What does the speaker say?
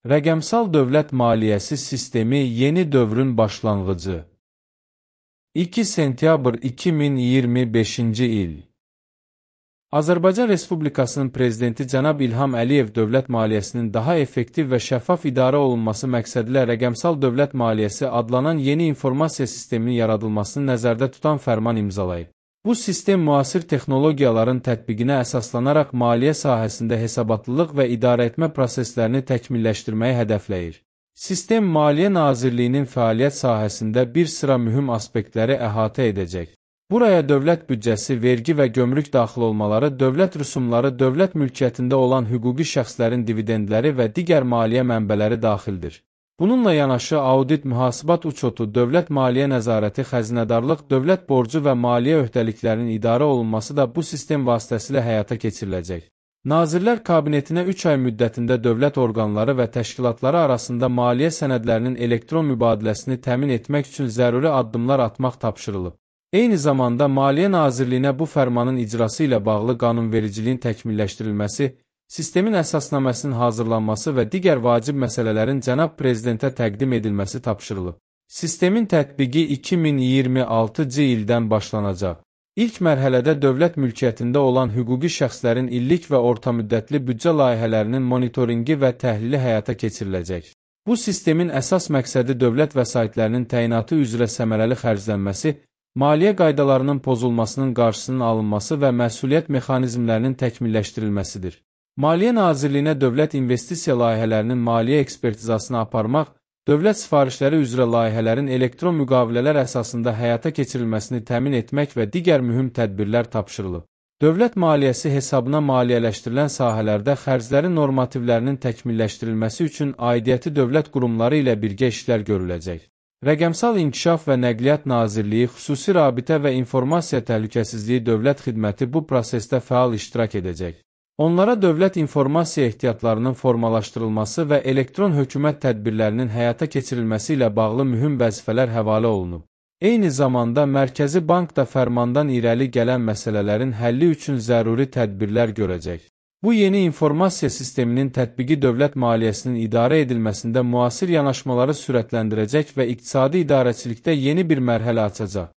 Rəqəmsal dövlət maliyyəsi sistemi yeni dövrün başlanğıcı. 2 sentyabr 2025-ci il. Azərbaycan Respublikasının Prezidenti cənab İlham Əliyev dövlət maliyyəsinin daha effektiv və şəffaf idarə olunması məqsədilə rəqəmsal dövlət maliyyəsi adlanan yeni informasiya sisteminin yaradılmasını nəzərdə tutan fərman imzalayıb. Bu sistem müasir texnologiyaların tətbiqinə əsaslanaraq maliyyə sahəsində hesabatlılıq və idarəetmə proseslərini təkmilləşdirməyi hədəfləyir. Sistem Maliyyə Nazirliyinin fəaliyyət sahəsində bir sıra mühüm aspektləri əhatə edəcək. Buraya dövlət büdcəsi, vergi və gömrük daxil olmaları, dövlət rüsumları, dövlət mülkiyyətində olan hüquqi şəxslərin dividendləri və digər maliyyə mənbələri daxildir. Bununla yanaşı audit, mühasibat uçotu, dövlət maliyyə nəzarəti, xəzinədarlıq, dövlət borcu və maliyyə öhdəliklərinin idarə olunması da bu sistem vasitəsilə həyata keçiriləcək. Nazirlər Kabinetinə 3 ay müddətində dövlət orqanları və təşkilatları arasında maliyyə sənədlərinin elektron mübadiləsini təmin etmək üçün zəruri addımlar atmaq tapşırılıb. Eyni zamanda Maliyyə Nazirliyinə bu fərmanın icrası ilə bağlı qanunvericiliyin təkmilləşdirilməsi, sistemin əsasnaməsinin hazırlanması və digər vacib məsələlərin cənab Prezidentə təqdim edilməsi tapşırılıb. Sistemin tətbiqi 2026-cı ildən başlanacaq. İlk mərhələdə dövlət mülkiyyətində olan hüquqi şəxslərin illik və ortamüddətli büdcə layihələrinin monitoringi və təhlili həyata keçiriləcək. Bu sistemin əsas məqsədi dövlət vəsaitlərinin təyinatı üzrə səmərəli xərclənməsi, maliyyə qaydalarının pozulmasının qarşısının alınması və məsuliyyət mexanizmlərinin təkmilləşdirilməsidir. Maliyyə Nazirliyinə dövlət investisiya layihələrinin maliyyə ekspertizasını aparmaq, dövlət sifarişləri üzrə layihələrin elektron müqavilələr əsasında həyata keçirilməsini təmin etmək və digər mühüm tədbirlər tapşırılıb. Dövlət maliyyəsi hesabına maliyyələşdirilən sahələrdə xərclərin normativlərinin təkmilləşdirilməsi üçün aidiyyəti dövlət qurumları ilə birgə işlər görüləcək. Rəqəmsal İnkişaf və Nəqliyyat Nazirliyi, Xüsusi Rabitə və İnformasiya Təhlükəsizliyi Dövlət Xidməti bu prosesdə fəal iştirak edəcək. Onlara dövlət informasiya ehtiyatlarının formalaşdırılması və elektron hökumət tədbirlərinin həyata keçirilməsi ilə bağlı mühüm vəzifələr həvalə olunub. Eyni zamanda Mərkəzi Bank da fərmandan irəli gələn məsələlərin həlli üçün zəruri tədbirlər görəcək. Bu yeni informasiya sisteminin tətbiqi dövlət maliyyəsinin idarə edilməsində müasir yanaşmaları sürətləndirəcək və iqtisadi idarəçilikdə yeni bir mərhələ açacaq.